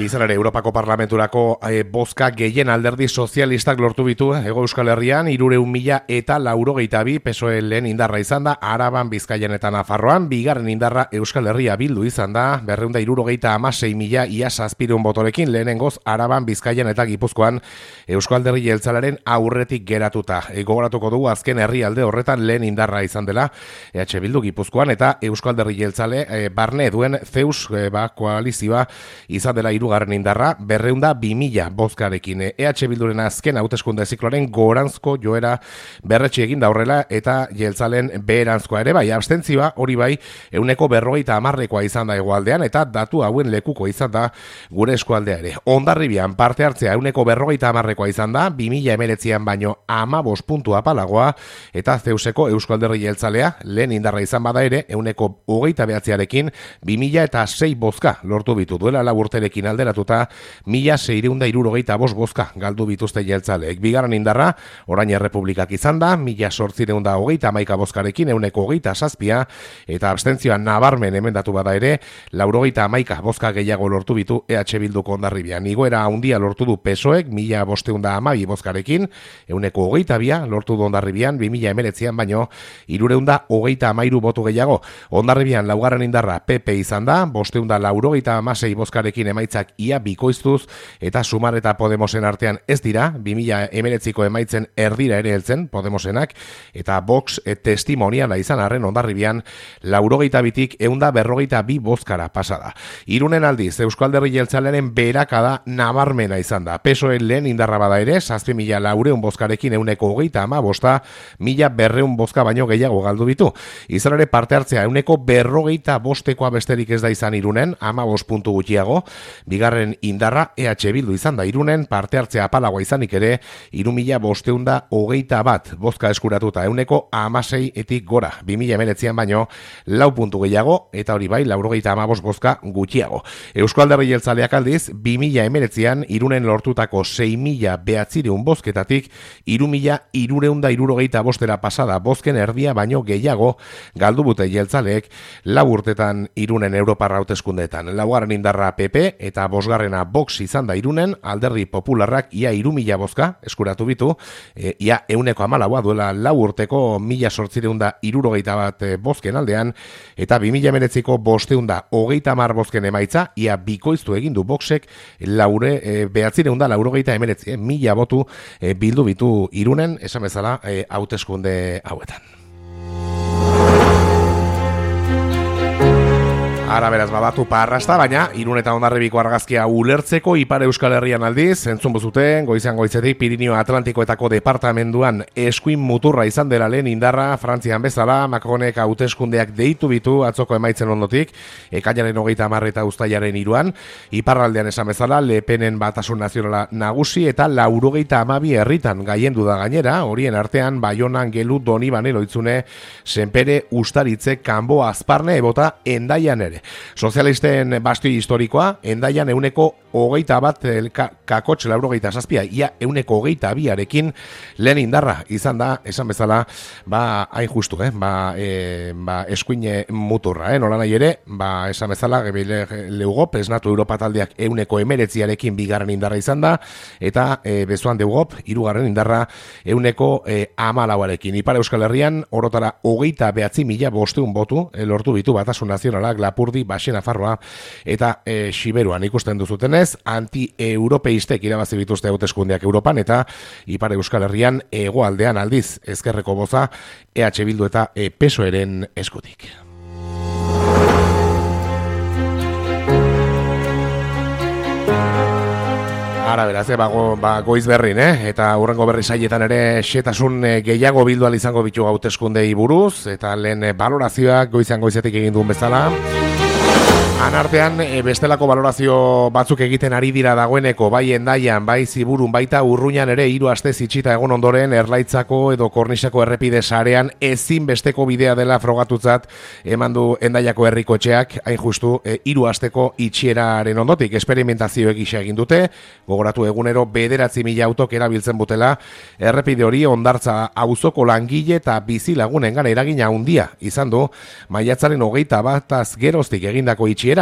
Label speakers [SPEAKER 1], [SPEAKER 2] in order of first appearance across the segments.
[SPEAKER 1] Izan ere, Europako Parlamenturako bozka gehien alderdi sozialistak lortu bitu Hego Euskal Herrian, 392 PSOE lehen indarra izan da, Araban, Bizkaian eta Nafarroan, bigarren indarra Euskal Herria Bildu izan da, 276.000 ia 700 botorekin, lehenengoz Araban, Bizkaian eta Gipuzkoan Euskal Alderdi Jeltzalearen aurretik geratuta. Gogoratuko dugu azken herrialde horretan lehen indarra izan dela, EH Bildu Gipuzkoan eta Euskal Alderdi Jeltzale barne duen Zeus koalizioa izan dela hirugarren indarra, 202.000 bozkarekin. EH Bilduren azken hauteskunde zikloaren goranzko joera berretsi egin da horrela eta Jeltzalen beheranzkoa ere bai, abstentzioa hori bai 40%koa izan da hegoaldean eta datu hauen lekuko izan da gure eskualdea ere. Hondarribian parte hartzea 40%koa izan da, 2019an baino 15 puntu apalagoa eta Zeuseko Euskal Alderdi Jeltzalea lehen indarra izan bada ere 29%arekin 2006 bozka lortu bitu duela laburterekin alderatuta 1.675 bozka galdu bituzte jeltzaleek. Bigarren indarra, orain Errepublikak izan da, 1.831 bozkarekin 27 eta abstentzioa nabarmen emendatu bada ere, 91 bozka gehiago lortu bitu EH Bilduko Hondarribian. Igoera handia lortu du PSOEk, 1.512 bozkarekin, 22 lortu du Hondarribian, 2019an baino, 333 botu gehiago. Hondarribian laugarren indarra PP izan da, 596 bozkarekin emaitzak ia bikoiztuz eta Sumar eta Podemosen artean ez dira, 2019ko emaitzen erdira ere heltzen Podemosenak eta Vox testimoniala izan arren Hondarribian 92tik 152 bozkara pasada. Irunen aldiz, Euskal Alderdi Jeltzalearen beherakada nabarmena izan da. PSOE lehen indarra bada ere, 7.400 bozkarekin 135, 1.200 bozka baino gehiago galdu bitu. Izan ere parte hartzea 145koa besterik ez da izan Irunen, 15 puntu gutxiago. Bigarren indarra EH Bildu izan da Irunen, parte hartzea apalagoa izanik ere 3.521 bozka eskuratuta 16%etik gora, 2019an baino 4 puntu gehiago eta hori bai 95 bozka gutxiago. Euskal Alderdi Jeltzaleak aldiz 2019an Irunen lortutako 6.900 bozketatik 3.275 pasada bozken erdia baino gehiago galdu bute jeltzaleek 4 urtetan Irunen Europar hauteskundeetan. Laugarren indarra PP eta bosgarrena Vox izan da Irunen, Alderdi Popularrak ia 3.000 bozka eskuratu bitu, ia 114 duela 4 urteko 1.871 bozken aldean, eta 2019ko 530 bozken emaitza, ia bikoiztu egin du Voxek 989 mila botu bildu bitu Irunen, esan bezala hauteskunde hauetan. Ara beraz badatu parrasta, baina Irun eta Hondarribiko argazkia ulertzeko Ipar Euskal Herrian aldiz, entzun bozuten, goizean goizetik Pirinio Atlantikoetako departamenduan eskuin muturra izan dela lehen indarra, Frantzian bezala, Macronek hauteskundeak deitu bitu atzoko emaitzen ondotik, ekainaren 30 eta uztailaren 3, iparraldean esan bezala, Le Penen Batasun Nazionala nagusi eta 92 herritan gaiendu da gainera, horien artean Baionan, Gelu, Donibane, Loitzune, Senpere, Ustaritze, Kanbo, Azparne, Ebota, Endaian ere. Sozialisten bastio historikoa, Endaian 121 kakotx 97, ia 122arekin lehen indarra izan da, esan bezala, hain justu, eskuin muturra, nola nahi ere, esan bezala, Leugop, esnatu Europa taldeak 119arekin bigarren indarra izan da, eta bezuan Deugop, hirugarren indarra 114arekin. Ipar Euskal Herrian, orotara 29.500 botu lortu bitu Batasun Nazionalak, Lapurdi, Baxe Nafarroa eta Xiberuan ikusten duzutenez, anti-europeistek irabazi bituzte hauteskundeak Europan eta Ipar Euskal Herrian hegoaldean aldiz ezkerreko boza EH Bildu eta PSOEren eskutik. Ara beraz, goiz berrin, eta hurrengo berri saietan ere xetasun gehiago bildu izango bitu hauteskundei buruz, eta lehen balorazioak goizean goizetik egin duen bezala. Anartean, bestelako balorazio batzuk egiten ari dira dagoeneko, bai Hendaian, bai Ziburun, baita Urruñan ere 3 aste itxita egon ondoren Erlaitzako edo Kornisako errepide sarean ezin besteko bidea dela frogatutzat eman du Hendaiako herrikotxeak, hain justu 3 asteko itxieraren ondotik esperimentazio egisa egin dute, gogoratu egunero 9.000 autok erabiltzen butela, errepide hori Hondartza auzoko langile eta bizilagunengan eragina handia izan du, maiatzaren 21 geroztik egindako itxierak,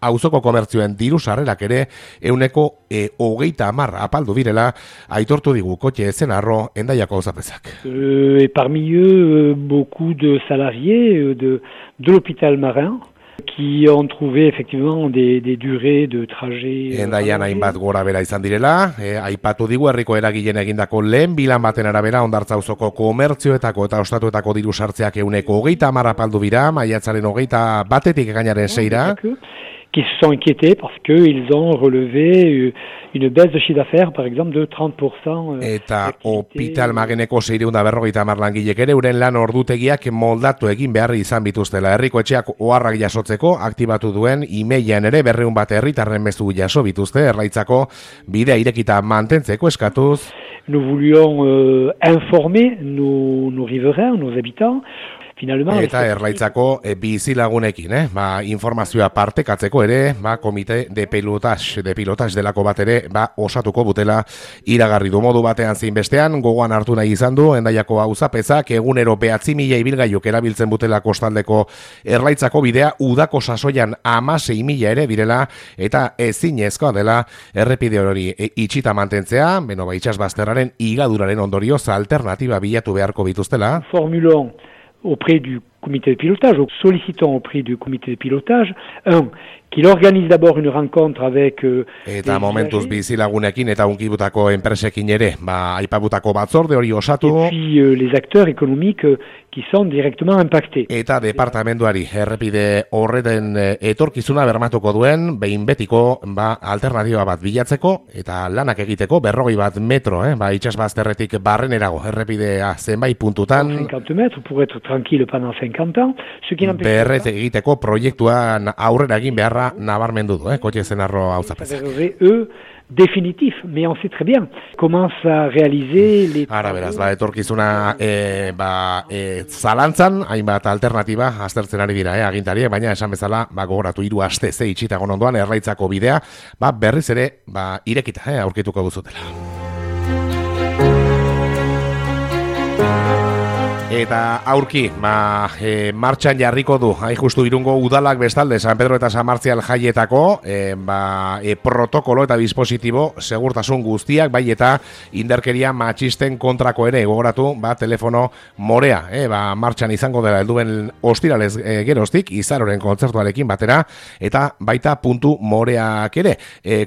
[SPEAKER 1] auzoko komertzioen diru sarrerak ere 30% apaldu direla, aitortu digu kotxe zenarro Hendaiako auzapezak.
[SPEAKER 2] Et parmi eux, beaucoup de salariés de l'hôpital Marin, qui ont trouvé effectivement des durées de trajet.
[SPEAKER 1] Hendaian hainbat gora bera izan direla, aipatu digu herriko eragileen egindako lehen bilan baten arabera Hondartza auzoko komertzioetako eta ostatuetako diru sartzeak 30% apaldu dira, maiatzaren 21 ekainaren 6ra.
[SPEAKER 2] Qui se sont inquiétés parce qu'ils ont relevé une baisse de chiffre d'affaires, par exemple, de 30%.
[SPEAKER 1] Eta Hospital Mageneko 650 langilek ere euren lan ordutegiak moldatu egin beharri izan bituztela. Herriko etxeak oharrak jasotzeko aktibatu duen emailean ere 200 bat herritarren mezu jaso bituzte, Erlaitzako bidea irekita mantentzeko eskatuz.
[SPEAKER 2] Nous voulions informer nos riverains, nos habitants.
[SPEAKER 1] Eta Erlaitzako bizilagunekin, informazioa partekatzeko ere, komite de pilotage delako bat ere, osatuko butela iragarri du modu batean zein bestean, gogoan hartu nahi izan du, Hendaiako auzapezak egunero 9.000 ibilgailuk erabiltzen butela kostaldeko Erlaitzako bidea, udako sasoian 16.000 ere direla, eta ezinezkoa dela errepide hori itxita mantentzea, itsasbazterraren igaduraren ondorioz alternatiba bilatu beharko bituztela.
[SPEAKER 2] Formulon auprès du comité de pilotage, sollicitons auprès du comité de pilotage, qu'il organise d'abord une rencontre avec
[SPEAKER 1] eta momentuz bizilagunekin eta unkibutako enpresekin ere, aipabutako batzorde hori osatu.
[SPEAKER 2] Et puis les acteurs économiques qui sont directement impactés.
[SPEAKER 1] Eta departamentuari errepide horreten etorkizuna bermatuko duen, behin betiko alternatiba bat bilatzeko eta lanak egiteko 20 metro, itsasbazterretik barrenerago errepidea zenbait puntutan.
[SPEAKER 2] 50 mètres pour être tranquille pendant 50 ans.
[SPEAKER 1] Berret egiteko proiektuan aurrera egin beharra nabarmendu du, kotxe zenarro auzapezak.
[SPEAKER 2] Définitif, mais on sait très bien comment ça réaliser les...
[SPEAKER 1] Ara beraz, etorkizuna zalantzan, hainbat alternatiba aztertzen ari dira, agintariek, baina esan bezala, gogoratu 3 aste ze itxitagon ondoan Erlaitzako bidea, berriz ere, irekita, aurkituko duzutela. Eta aurki, martxan jarriko du, justu Irungo udalak bestalde, San Pedro eta San Martzial jaietako, protokolo eta dispositibo segurtasun guztiak, bai eta indarkeria matxisten kontrako ere, gogoratu, telefono morea, martxan izango dela helduen ostiralez geroztik, Izaroren kontzertuarekin batera, eta baita puntu moreak ere.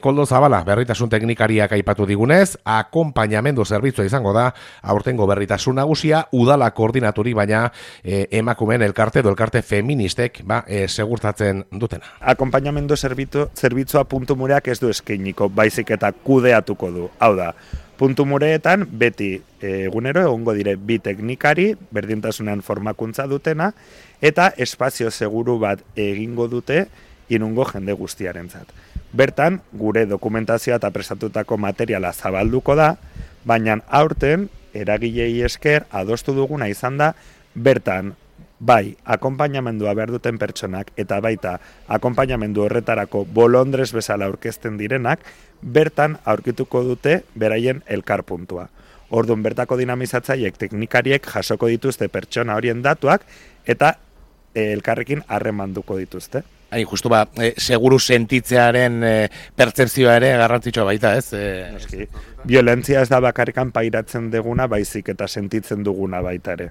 [SPEAKER 1] Koldo Zabala, berritasun teknikariak aipatu digunez, akonpainamendu zerbitzua izango da, aurtengo berritasun nagusia, udalak koordinaturi, baina emakumeen elkarte edo elkarte feministek segurtatzen dutena.
[SPEAKER 3] Akonpainamendu zerbitzua puntu mureak ez du eskainiko, baizik eta kudeatuko du. Hau da, puntu mureetan beti egunero egongo dire 2 teknikari, berdintasunean formakuntza dutena, eta espazio seguru bat egingo dute Irungo jende guztiarentzat. Bertan, gure dokumentazioa eta prestatutako materiala zabalduko da, baina aurten, eragilei esker adostu duguna izan da, bertan, bai, akonpainamendua behar duten pertsonak, eta baita, akonpainamendu horretarako bolondrez bezala aurkezten direnak, bertan aurkituko dute beraien elkarpuntua. Orduan, bertako dinamizatzaiek teknikariek jasoko dituzte pertsona horien datuak, eta elkarrekin harremanduko dituzte.
[SPEAKER 1] Justu seguru sentitzearen pertzepzioa ere garrantzitsua baita, ez?
[SPEAKER 3] Violentzia ez da bakarrikan pairatzen duguna, baizik eta sentitzen duguna baita ere.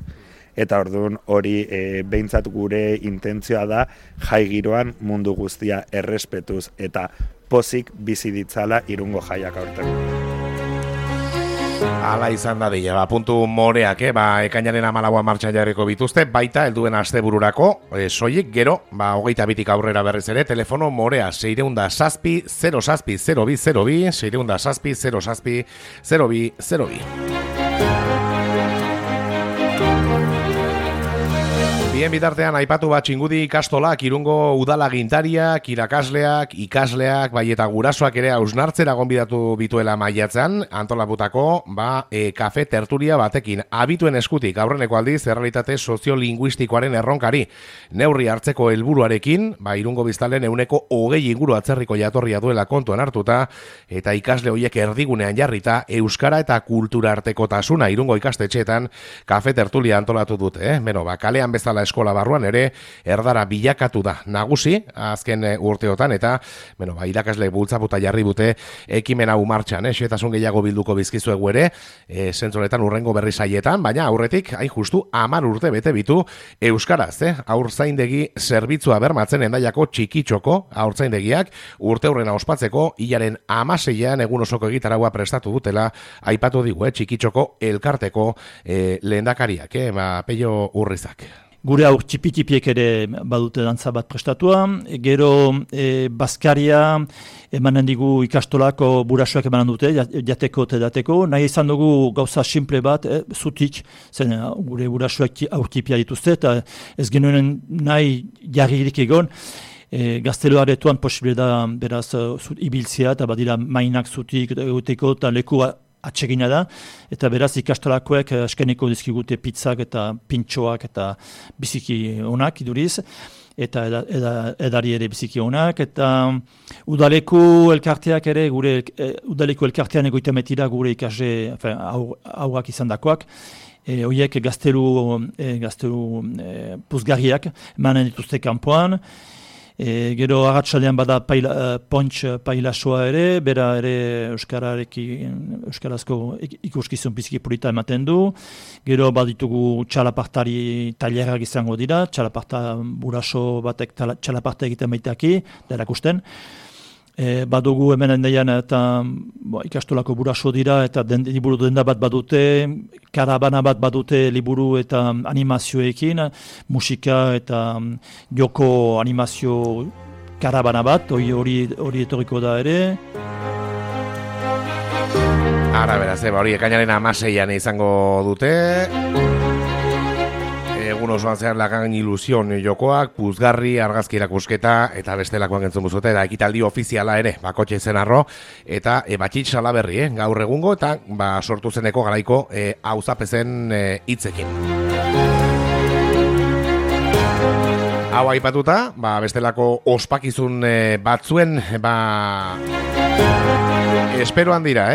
[SPEAKER 3] Eta orduan hori behintzat gure intentzioa da jai giroan mundu guztia errespetuz eta pozik bizi ditzala Irungo jaiak aurten.
[SPEAKER 1] Hala izan da dira, puntu moreak, ekainaren 14 martxan jarriko bituzte, baita helduen astebururako, soilik gero, 22tik aurrera berriz ere, telefono morea 607 07 0202, 607 07 0202. Bien bitartean aipatu bat Txingudi ikastolak, Irungo udalagintariak, irakasleak, ikasleak, bai eta gurasoak ere hausnartzera gonbidatu bituela maiatzean, antolaputako, kafe tertulia batekin. Abituen eskutik, aurreneko aldiz, errealitate soziolinguistikoaren erronkari. Neurri hartzeko helburuarekin, Irungo biztalen 20% inguru atzerriko jatorria duela kontuan hartuta, eta ikasle horiek erdigunean jarrita, euskara eta kultura artekotasuna Irungo ikastetxeetan kafe tertulia antolatu dute. Kalean bezala eskola barruan ere erdara bilakatu da nagusi azken urteotan eta irakasle bultzaputa jarri dute ekimen hau martxan, xehetasun gehiago bilduko bizkizuegu ere zentzonetan urrengo berri saietan, baina aurretik hain justu 10 urte bete bitu euskaraz, haurtzaindegi zerbitzua bermatzen Hendaiako Txikitxoko haurtzaindegiak urte aurrena ospatzeko hilaren 16an egun osoko egitaragua prestatu dutela aipatu digu Txikitxoko elkarteko lehendakariak, Pello Urrizak.
[SPEAKER 4] Gure aur txipi-txipiek ere badute dantza bat prestatua, gero Baskaria emanen digu ikastolako burasoak emanen dute, jateko eta dateko, nahi izan dugu gauza simple bat, zutik, zen gure burasoak aur txipia dituzte, eta ez genuen nahi jarririk egon, gaztelo aretuan posible da beraz ibiltzea, eta badira mainak zutik egoteko, eta lekua atsegina da, eta beraz ikastolakoek eskeneko dizkigute pizzak eta pintxoak eta biziki onak iduriz, eta edari ere biziki onak, eta udaleko elkarteak ere, gure udaleko elkartean egoitemetira gure ikasle aurrak izan dakoak, horiek gaztelu puzgarriak emanen dituzte kanpoan. Gero agatsaldean bada pontx pailasoa ere, bera ere euskarazko ikuskizun biziki polita ematen du. Gero baditugu txalapartari tailerak izango dira, txalaparta buraso batek txalaparta egiten baitaki, da erakusten. Badugu hemen Hendaian eta ikastolako buraso dira eta liburu denda bat badute, karabana bat badute liburu eta animazioekin, musika eta joko animazio karabana bat, hori etorriko da ere.
[SPEAKER 1] Ara beraz, hori ekainaren 16an izango dute. Egun osoan zehar lagan ilusion jokoak, puzgarri, argazki erakusketa eta bestelakoak entzun buzute, eta ekitaldi ofiziala ere, bakotxe zen arro, eta batxit salaberri, gaur egungo, eta sortu zeneko garaiko auzapezen hitzekin. Hau aipatuta, bestelako ospakizun batzuen, esperoan dira,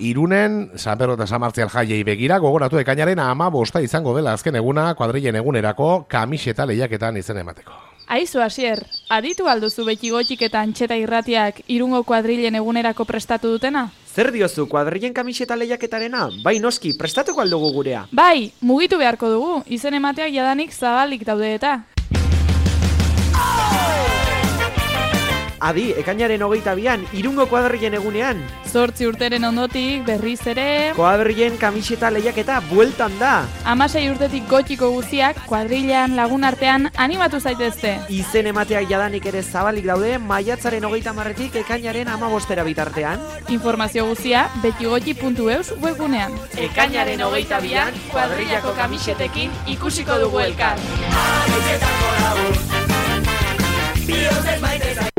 [SPEAKER 1] Irunen, San Pedro eta San Martzial jaiei begira, gogoratu ekainaren 15 izango dela azken eguna, kuadrilen egunerako, kamiseta lehiaketan izen emateko.
[SPEAKER 5] Aizu, Asier, aditu alduzu beti gotxik eta antxeta irratiak Irungo kuadrilen egunerako prestatu dutena?
[SPEAKER 6] Zer diozu, kuadrilen kamiseta lehiaketarena? Bai, noski, prestatuko aldugu gurea.
[SPEAKER 5] Bai, mugitu beharko dugu, izen emateak jadanik zabalik daude eta.
[SPEAKER 6] Adi, ekainaren 22an, Irungo kuadrilen egunean.
[SPEAKER 5] 8 urteren ondotik, berriz ere...
[SPEAKER 6] Kuadrilen kamiseta lehiaketa bueltan da.
[SPEAKER 5] 16 urtetik gotxiko guztiak, kuadrilean lagun artean animatu zaitezte.
[SPEAKER 6] Izen emateak jadanik ere zabalik daude, maiatzaren 30etik ekainaren 15 bitartean.
[SPEAKER 5] Informazio guztia, betigotxi.eus webgunean.
[SPEAKER 6] Ekainaren 22an, kuadrilako kamisetekin ikusiko dugu elkar.
[SPEAKER 7] Bihotz ez maite